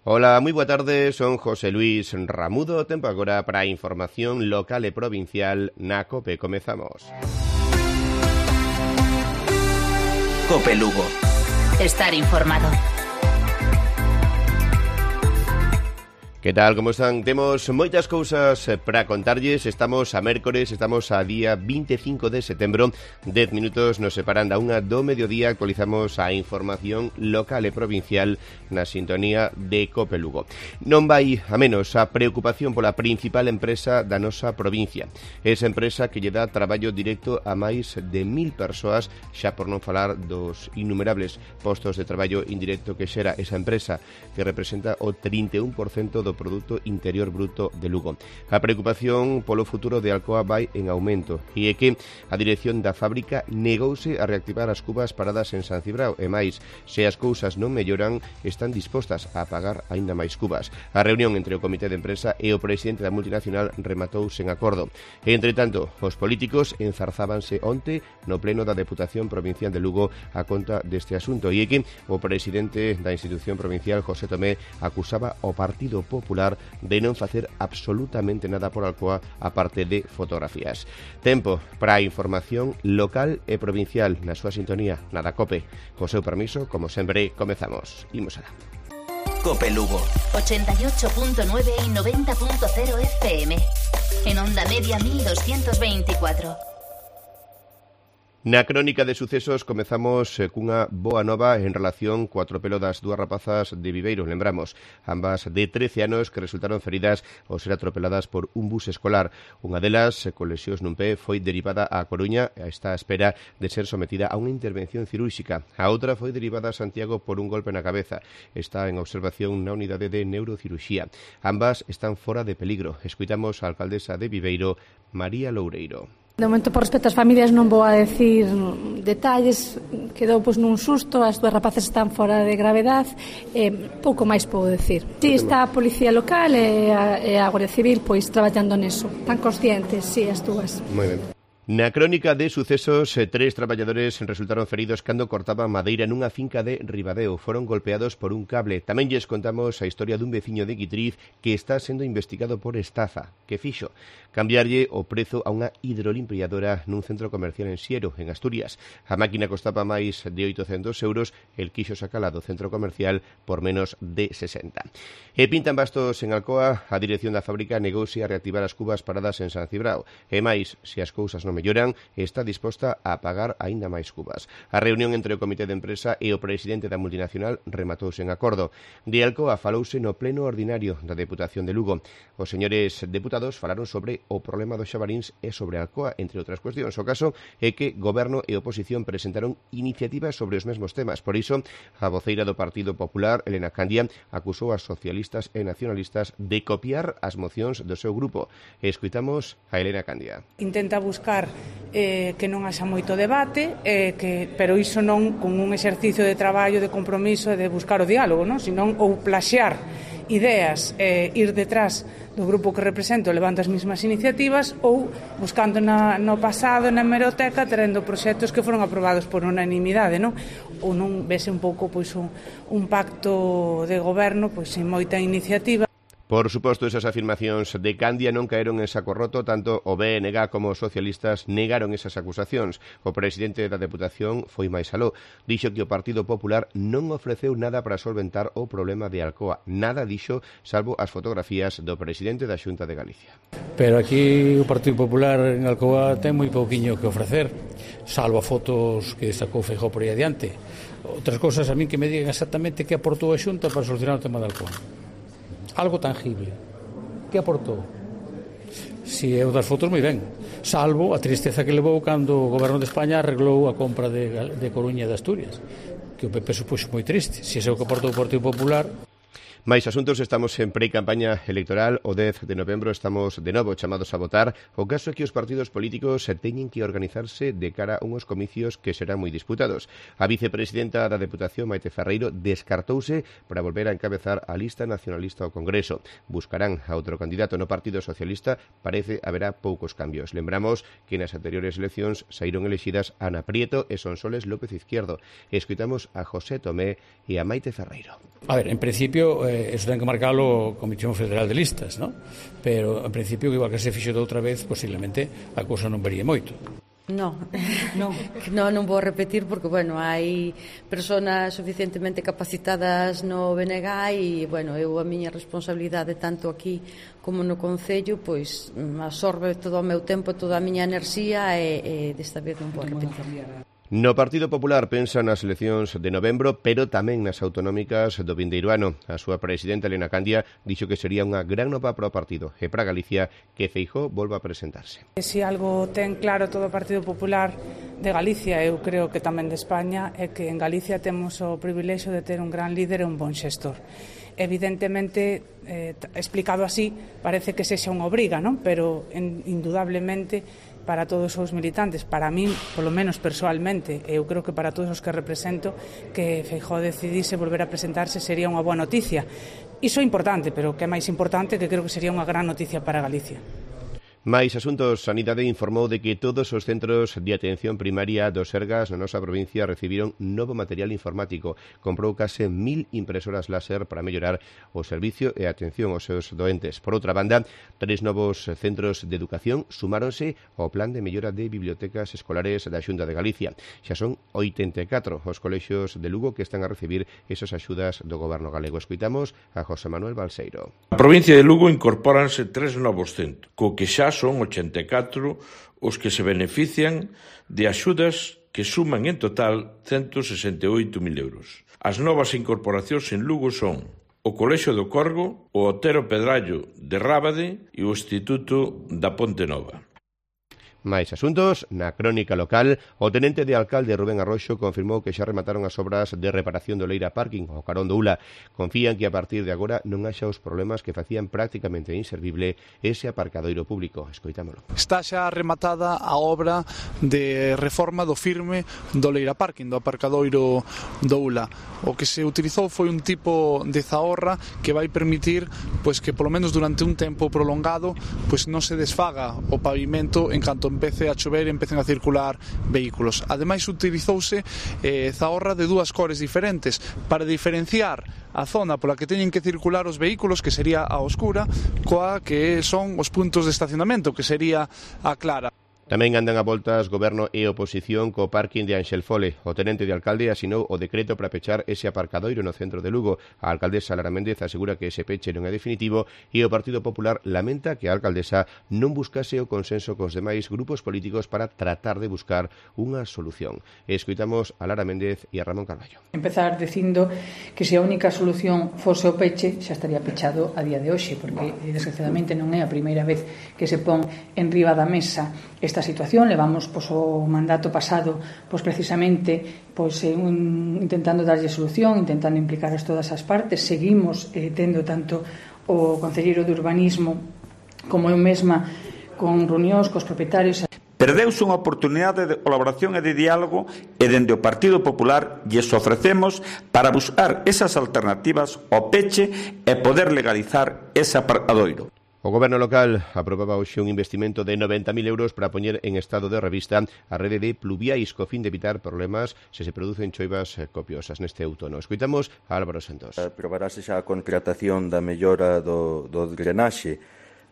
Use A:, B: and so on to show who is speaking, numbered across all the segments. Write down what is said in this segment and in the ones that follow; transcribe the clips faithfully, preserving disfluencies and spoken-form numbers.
A: Ola, moi boa tarde, son José Luis Ramudo, tempo agora para a información local e provincial na COPE. Comezamos.
B: COPE Lugo.
C: Estar informado.
A: Que tal, como están? Temos moitas cousas para contarlles. Estamos a mércores, estamos a día veinticinco de setembro. Dez minutos nos separan da unha do mediodía. Actualizamos a información local e provincial na sintonía de COPE Lugo. Non vai a menos a preocupación pola principal empresa da nosa provincia. Esa empresa que lle dá traballo directo a máis de mil persoas, xa por non falar dos innumerables postos de traballo indirecto que xera esa empresa, que representa o trinta e un por cento do Produto Interior Bruto de Lugo. A preocupación polo futuro de Alcoa vai en aumento e é que a dirección da fábrica negouse a reactivar as cubas paradas en San Cibrao e máis, se as cousas non melloran, están dispostas a pagar aínda máis cubas. A reunión entre o comité de empresa e o presidente da multinacional rematou sen acordo. E, entre tanto, os políticos enzarzábanse onte no pleno da Deputación Provincial de Lugo a conta deste asunto e é que o presidente da institución provincial, José Tomé, acusaba o Partido Popular Popular de non facer absolutamente nada por Alcoa aparte de fotografías. Tempo para a información local e provincial na súa sintonía na da COPE. Co seu permiso, como sempre, comezamos. Imos alá.
B: COPE Lugo.
C: ochenta y ocho punto nueve y noventa punto cero F M. En onda media mil doscientos veinticuatro.
A: Na crónica de sucesos comezamos cunha boa nova en relación co atropelo das dúas rapazas de Viveiro. Lembramos, ambas de trece anos que resultaron feridas ao ser atropeladas por un bus escolar. Unha delas, con lesións nun pé, foi derivada a Coruña e está á espera de ser sometida a unha intervención cirúrxica. A outra foi derivada a Santiago por un golpe na cabeza. Está en observación na unidade de neurocirurxía. Ambas están fora de peligro. Escuitamos a alcaldesa de Viveiro, María Loureiro.
D: De momento, por respecto ás familias, non vou a decir detalles. Quedou pois nun susto, as dúas rapaces están fora de gravedade, e pouco máis podo decir. Si, está a Policía Local e a, e a Guardia Civil pois traballando neso. Están conscientes, si, as dúas.
A: Moi ben. Na crónica de sucesos, tres traballadores resultaron feridos cando cortaban madeira nunha finca de Ribadeo. Foron golpeados por un cable. Tamén lles contamos a historia dun veciño de Guitriz que está sendo investigado por estafa. Que fixo? Cambiarlle o prezo a unha hidrolimpiadora nun centro comercial en Siero, en Asturias. A máquina costaba máis de oitocentos euros, el quixo sacala do centro comercial por menos de sesenta. E pintan bastos en Alcoa, a dirección da fábrica negouse a reactivar as cubas paradas en San Cibrao. E máis, se as cousas non melloran, está disposta a pagar aínda máis cubas. A reunión entre o comité de empresa e o presidente da multinacional rematouse en acordo. De Alcoa falouse no pleno ordinario da Deputación de Lugo. Os señores deputados falaron sobre o problema dos xabaríns e sobre Alcoa, entre outras cuestións. O caso é que Goberno e oposición presentaron iniciativas sobre os mesmos temas. Por iso, a voceira do Partido Popular, Elena Candia, acusou a socialistas e nacionalistas de copiar as mocións do seu grupo. E escuitamos a Elena Candia.
E: Intenta buscar eh, que non haxa moito debate, eh, que, pero iso non con un exercicio de traballo, de compromiso e de buscar o diálogo, non? Senón ou plaxear ideas, eh, ir detrás do grupo que represento levando as mesmas iniciativas ou buscando na, no pasado, na hemeroteca, terendo proxectos que foron aprobados por unanimidade, non? Ou non vese un pouco pois un, un pacto de goberno pois sin moita iniciativa.
A: Por suposto, esas afirmacións de Candia non caeron en saco roto, tanto o B N G como os socialistas negaron esas acusacións. O presidente da Deputación foi máis aló. Dixo que o Partido Popular non ofreceu nada para solventar o problema de Alcoa. Nada dixo, salvo as fotografías do presidente da Xunta de Galicia.
F: Pero aquí o Partido Popular en Alcoa ten moi pouquiño que ofrecer, salvo a fotos que sacou Feijóo por aí adiante. Outras cousas a min que me digan exactamente que aportou a Xunta para solucionar o tema de Alcoa. Algo tangible. Que aportou? Si é o das fotos, moi ben. Salvo a tristeza que levou cando o Goberno de España arreglou a compra de, de Coruña e de Asturias, que o P P supuxo moi triste. Si é o que aportou o Partido Popular.
A: Mais asuntos, estamos en pre-campaña electoral. O dez de novembro estamos de novo chamados a votar. O caso é que os partidos políticos teñen que organizarse de cara a unhos comicios que serán moi disputados. A vicepresidenta da Deputación, Maite Ferreiro, descartouse para volver a encabezar a lista nacionalista ao Congreso. Buscarán a outro candidato no Partido Socialista. Parece haberá poucos cambios. Lembramos que nas anteriores eleccións saíron elexidas Ana Prieto e Sonsoles López Izquierdo. Escoitamos a José Tomé e a Maite Ferreiro.
F: A ver, en principio eh, eso ten que marcalo a Comisión Federal de Listas, ¿no? Pero en principio, igual que se fixo de outra vez, posiblemente a cousa non vería moito.
G: No, no, no, non vou repetir porque, bueno, hai persoas suficientemente capacitadas no B N G e, bueno, eu a miña responsabilidade tanto aquí como no Concello, pois absorbe todo o meu tempo, toda a miña enerxía e, e desta vez non vou repetir.
A: No Partido Popular pensa nas eleccións de novembro, pero tamén nas autonómicas do vindeiro ano. A súa presidenta, Elena Candia, dixo que sería unha gran nova para o partido e para Galicia que Feijóo volva a presentarse.
E: Se algo ten claro todo o Partido Popular de Galicia, eu creo que tamén de España, é que en Galicia temos o privilexio de ter un gran líder e un bon xestor. Evidentemente, eh, explicado así, parece que sexa unha obriga, non? Pero en, indudablemente para todos os militantes, para min, polo menos persoalmente, eu creo que para todos os que represento, que Feijóo decidise volver a presentarse sería unha boa noticia. Iso é importante, pero que é máis importante, que creo que sería unha gran noticia para Galicia.
A: Mais Asuntos Sanidade informou de que todos os centros de atención primaria do Sergas na nosa provincia recibiron novo material informático. Comprou case mil impresoras láser para mellorar o servicio e a atención aos seus doentes. Por outra banda, tres novos centros de educación sumáronse ao plan de mellora de bibliotecas escolares da Xunta de Galicia. Xa son oitenta e catro os colexios de Lugo que están a recibir esas axudas do goberno galego. Escoitamos a José Manuel Balseiro.
H: Na provincia de Lugo incorpóranse tres novos centros, co que xa son ochenta e catro os que se benefician de axudas que suman en total ciento sesenta e oito mil euros. As novas incorporacións en Lugo son o Colexio do Corgo, o Otero Pedrallo de Rábade e o Instituto da Ponte Nova.
A: Mais asuntos, na crónica local, o tenente de alcalde Rubén Arroxo confirmou que xa remataron as obras de reparación do Leira Parking ao carón do Ula. Confían que a partir de agora non haxa os problemas que facían prácticamente inservible ese aparcadoiro público. Escoitámolo.
I: Está xa rematada a obra de reforma do firme do Leira Parking, do aparcadoiro do Ula. O que se utilizou foi un tipo de zahorra que vai permitir pois que polo menos durante un tempo prolongado pois non se desfaga o pavimento en canto empece a chover e empecen a circular vehículos. Ademais, utilizouse eh, zahorra de dúas cores diferentes para diferenciar a zona pola que teñen que circular os vehículos, que sería a oscura, coa que son os puntos de estacionamento, que sería a clara.
A: Tamén andan a voltas goberno e oposición co parking de Anxel Fole. O tenente de alcalde asinou o decreto para pechar ese aparcadoiro no centro de Lugo. A alcaldesa Lara Méndez asegura que ese peche non é definitivo e o Partido Popular lamenta que a alcaldesa non buscase o consenso cos demais grupos políticos para tratar de buscar unha solución. Escoitamos a Lara Méndez e a Ramón Carballo.
J: Empezar dicindo que se a única solución fose o peche xa estaría pechado a día de hoxe, porque desgraciadamente non é a primeira vez que se pon en riba da mesa esta situación. Levamos pois, o mandato pasado pois, precisamente pois, eh, un, intentando darlle solución, intentando implicar a todas as partes. Seguimos eh, tendo tanto o concelleiro de urbanismo como eu mesma con reunións cos propietarios.
K: Perdeuse unha oportunidade de colaboración e de diálogo e dende o Partido Popular lles ofrecemos para buscar esas alternativas ao peche e poder legalizar ese aparcadoiro.
A: O goberno local aprobaba hoxe un investimento de noventa mil euros para poñer en estado de revista a rede de pluviais co fin de evitar problemas se se producen choivas copiosas neste outono. Escoitamos a Álvaro Santos.
L: Aprobarase xa a contratación da mellora do, do drenaxe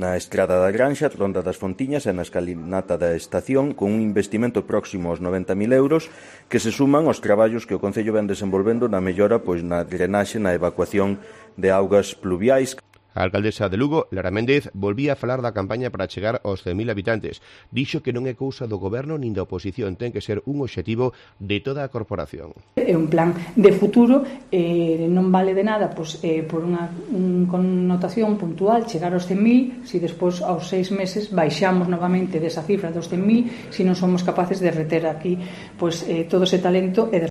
L: na estrada da Granxa, Ronda das Fontiñas e na escalinata da estación con un investimento próximo aos noventa mil euros que se suman aos traballos que o Concello ven desenvolvendo na mellora pois na drenaxe, na evacuación de augas pluviais.
A: A alcaldesa de Lugo, Lara Méndez, volvía a falar da campaña para chegar aos cen mil habitantes. Dixo que non é cousa do goberno nin da oposición, ten que ser un obxectivo de toda a corporación.
J: É un plan de futuro, eh, non vale de nada pois, eh, por unha un connotación puntual chegar aos cen mil, se despois aos seis meses baixamos novamente desa cifra dos cen mil, se non somos capaces de reter aquí pois, eh, todo ese talento e de...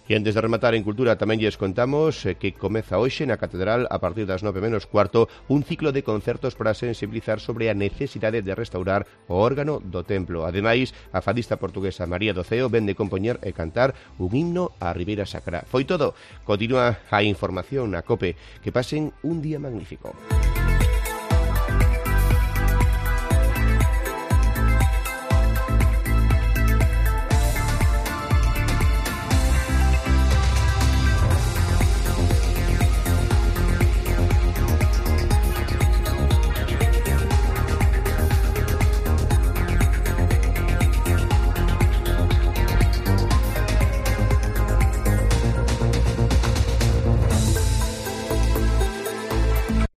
A: E antes de rematar en Cultura tamén lles contamos que comeza hoxe na Catedral a partir das nove menos cuarto un ciclo de concertos para sensibilizar sobre a necesidade de restaurar o órgano do templo. Ademais, a fadista portuguesa María Doceo ven de compoñer e cantar un himno á Ribeira Sacra. Foi todo. Continúa a información na COPE. Que pasen un día magnífico.